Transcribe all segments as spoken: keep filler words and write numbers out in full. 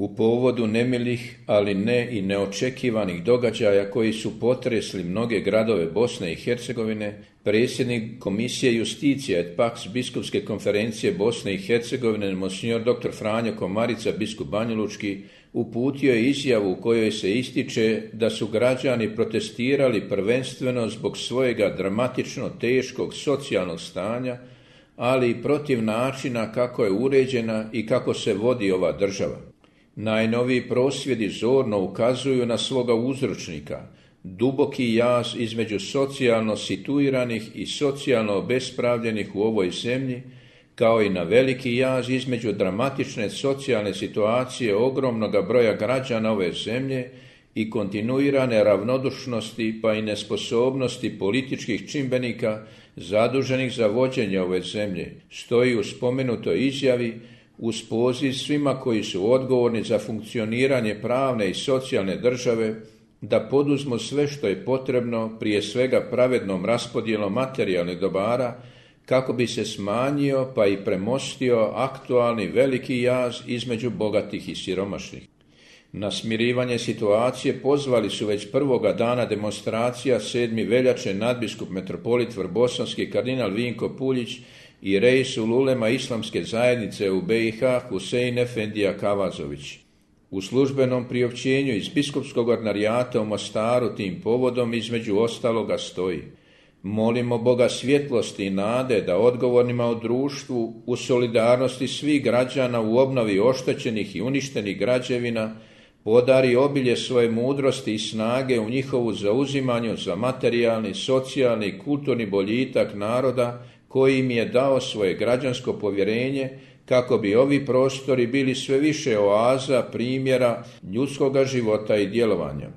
U povodu nemilih, ali ne i neočekivanih događaja koji su potresli mnoge gradove Bosne i Hercegovine, predsjednik Komisije Justicija et Pax Biskupske konferencije Bosne i Hercegovine, monsignor doktor Franjo Komarica, biskup banjalučki, uputio je izjavu u kojoj se ističe da su građani protestirali prvenstveno zbog svojega dramatično teškog socijalnog stanja, ali i protiv načina kako je uređena i kako se vodi ova država. Najnoviji prosvjedi zorno ukazuju na svoga uzročnika, duboki jaz između socijalno situiranih i socijalno obespravljenih u ovoj zemlji, kao i na veliki jaz između dramatične socijalne situacije ogromnog broja građana ove zemlje i kontinuirane ravnodušnosti pa i nesposobnosti političkih čimbenika zaduženih za vođenje ove zemlje, stoji u spomenutoj izjavi uz poziv svima koji su odgovorni za funkcioniranje pravne i socijalne države da poduzmu sve što je potrebno, prije svega pravednom raspodjelom materijalnih dobara, kako bi se smanjio pa i premostio aktualni veliki jaz između bogatih i siromašnih. Na smirivanje situacije pozvali su već prvoga dana demonstracija sedmog veljače nadbiskup metropolit vrbosanski kardinal Vinko Puljić i Reisul ulema islamske zajednice u be i ha Husein Efendija Kavazović. U službenom priopćenju iz biskupskog ordinarijata u Mostaru tim povodom između ostaloga stoji: molimo Boga svjetlosti i nade da odgovornima u društvu u solidarnosti svih građana u obnovi oštećenih i uništenih građevina podari obilje svoje mudrosti i snage u njihovu zauzimanju za materijalni, socijalni i kulturni boljitak naroda koji im je dao svoje građansko povjerenje, kako bi ovi prostori bili sve više oaza primjera ljudskoga života i djelovanja.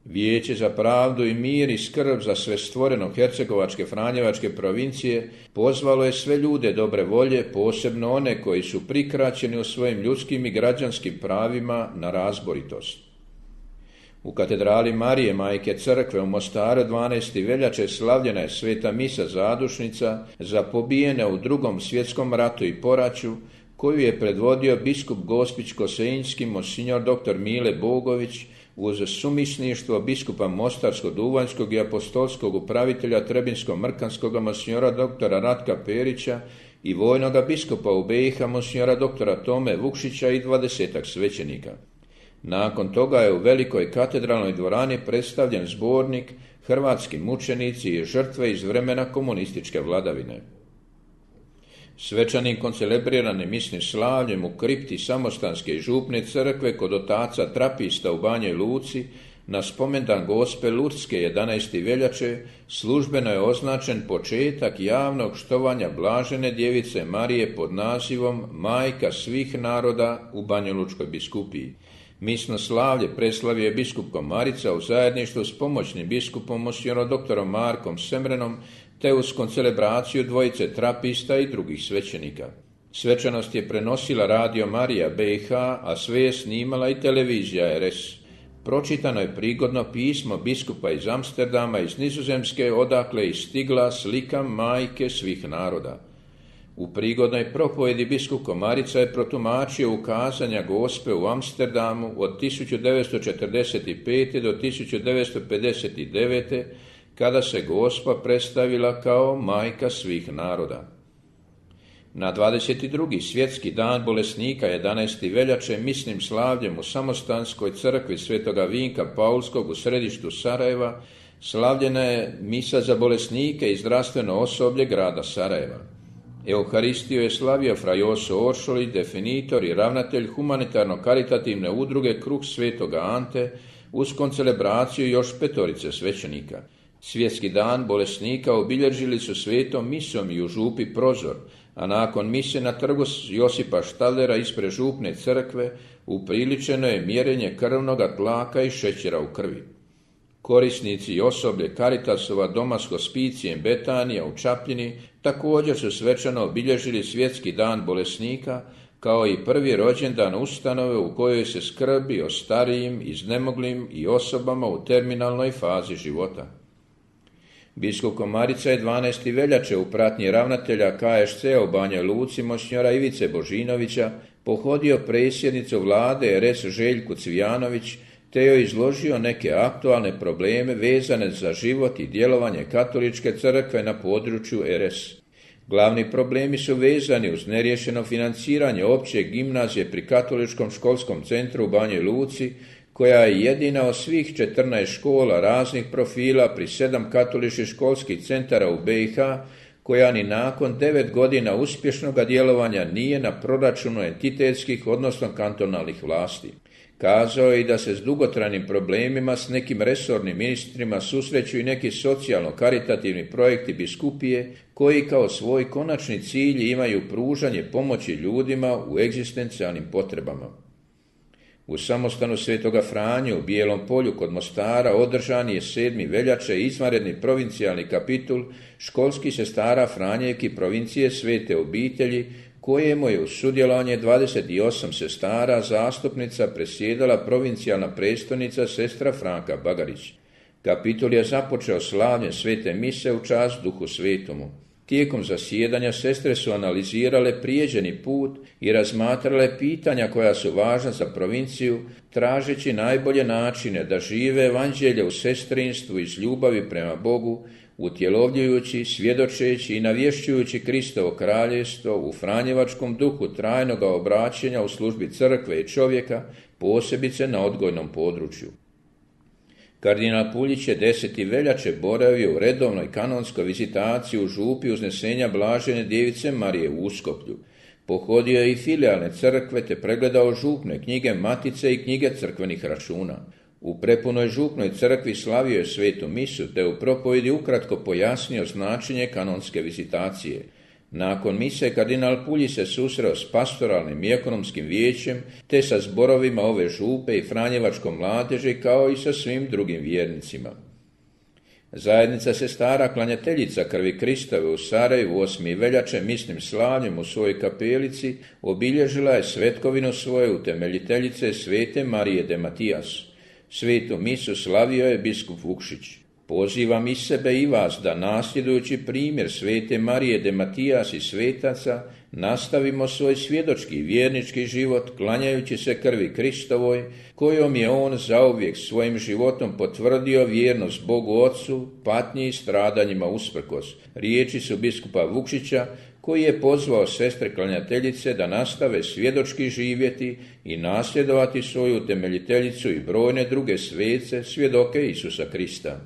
Vijeće za pravdu i mir i skrb za sve stvoreno Hercegovačke Franjevačke provincije pozvalo je sve ljude dobre volje, posebno one koji su prikraćeni u svojim ljudskim i građanskim pravima, na razboritost. U katedrali Marije Majke Crkve u Mostaru dvanaestog veljače slavljena je sveta misa zadušnica za pobijene u Drugom svjetskom ratu i poraću, koju je predvodio biskup Gospić-Koseljinski monsignor doktor Mile Bogović uz sumisništvo biskupa Mostarsko-Duvanjskog i apostolskog upravitelja Trebinsko-Mrkanskog monsignora doktora Ratka Perića i vojnoga biskupa u be i ha monsignora doktora Tome Vukšića i dvadesetak svećenika. Nakon toga je u velikoj katedralnoj dvorani predstavljen zbornik Hrvatski mučenici i žrtve iz vremena komunističke vladavine. Svečanim koncelebrirani misnim slavljem u kripti Samostanske i župne crkve kod otaca Trapista u Banjoj Luci na spomendan Gospe Lurdske jedanaestog veljače službeno je označen početak javnog štovanja Blažene djevice Marije pod nazivom Majka svih naroda u Banjalučkoj biskupiji. Misno slavlje preslavio je biskup Komarica u zajedništvu s pomoćnim biskupom monsignorom doktorom Markom Semrenom te uz koncelebraciju dvojice trapista i drugih svećenika. Svečanost je prenosila Radio Marija be i ha, a sve je snimala i televizija er es. Pročitano je prigodno pismo biskupa iz Amsterdama iz Nizozemske, odakle je stigla slika Majke svih naroda. U prigodnoj propovjedi biskup Komarica je protumačio ukazanja Gospe u Amsterdamu od tisuću devetsto četrdeset pete do tisuću devetsto pedeset devete kada se Gospa predstavila kao Majka svih naroda. Na dvadeset drugi svjetski dan bolesnika jedanaestog veljače misnim slavljem u Samostanskoj crkvi Svetoga Vinka Paulskog u središtu Sarajeva slavljena je misa za bolesnike i zdravstveno osoblje grada Sarajeva. Euharistiju je slavio fra Joso Oršolić, definitor i ravnatelj humanitarno-karitativne udruge Kruh Svetoga Ante, uz koncelebraciju još petorice svećenika. Svjetski dan bolesnika obilježili su svetom misom i u župi Prozor, a nakon mise na trgu Josipa Štalera ispred župne crkve upriličeno je mjerenje krvnoga tlaka i šećera u krvi. Korisnici i osoblje Caritasova doma s hospicijem Betanija u Čapljini također su svečano obilježili svjetski dan bolesnika, kao i prvi rođendan ustanove u kojoj se skrbi o starijim, iznemoglim i osobama u terminalnoj fazi života. Biskup Komarica je dvanaestog veljače u pratnji ravnatelja ka es ce u Banjoj Luci monsignora Ivice Božinovića pohodio predsjednicu vlade er es Željku Cvijanović te joj izložio neke aktualne probleme vezane za život i djelovanje katoličke crkve na području er es. Glavni problemi su vezani uz neriješeno financiranje opće gimnazije pri Katoličkom školskom centru u Banji Luci, koja je jedina od svih četrnaest škola raznih profila pri sedam katoličkih školskih centara u be i ha, koja ni nakon devet godina uspješnog djelovanja nije na proračunu entitetskih, odnosno kantonalnih vlasti. Kazao je i da se s dugotrajnim problemima s nekim resornim ministrima susreću i neki socijalno-karitativni projekti biskupije koji kao svoj konačni cilj imaju pružanje pomoći ljudima u egzistencijalnim potrebama. U samostanu Svetoga Franje u Bijelom Polju kod Mostara održan je sedmog veljače izvanredni provincijalni kapitul školskih sestara Franjevki provincije Svete obitelji, kojemu je uz sudjelovanje dvadeset osam sestara zastupnica presjedala provincijalna predstojnica sestra Franka Bagarić. Kapitul je započeo slavljem svete mise u čast Duhu Svetomu. Tijekom zasjedanja sestre su analizirale prijeđeni put i razmatrale pitanja koja su važna za provinciju, tražeći najbolje načine da žive evanđelje u sestrinstvu iz ljubavi prema Bogu, utjelovljujući, svjedočeći i navješćujući Kristovo kraljevstvo u franjevačkom duhu trajnoga obraćanja u službi crkve i čovjeka, posebice na odgojnom području. Kardinal Puljić je desete veljače boravio u redovnoj kanonskoj vizitaciji u župi Uznesenja Blažene Djevice Marije u Uskoplju. Pohodio je i filijalne crkve te pregledao župne knjige matice i knjige crkvenih računa. U prepunoj župnoj crkvi slavio je svetu misu te u propovjedi ukratko pojasnio značenje kanonske vizitacije. Nakon mise kardinal Puljić se susreo s pastoralnim i ekonomskim vijećem te sa zborovima ove župe i franjevačkom mladeži kao i sa svim drugim vjernicima. Zajednica sestara klanjateljica krvi Kristove u Sarajevu osmog veljače misnim slavljem u svojoj kapelici obilježila je svetkovinu svoje utemeljiteljice svete Marije de Matijas. Svetu misu slavio je biskup Vukšić. Pozivam i sebe i vas da nasljedujući primjer svete Marije de Matijas i svetaca nastavimo svoj svjedočki i vjernički život klanjajući se krvi Kristovoj, kojom je on zauvijek svojim životom potvrdio vjernost Bogu Otcu, patnji i stradanjima usprkos. Riječi su biskupa Vukšića, koji je pozvao sestre klanjateljice da nastave svjedočki živjeti i nasljedovati svoju utemeljiteljicu i brojne druge svece, svjedoke Isusa Krista.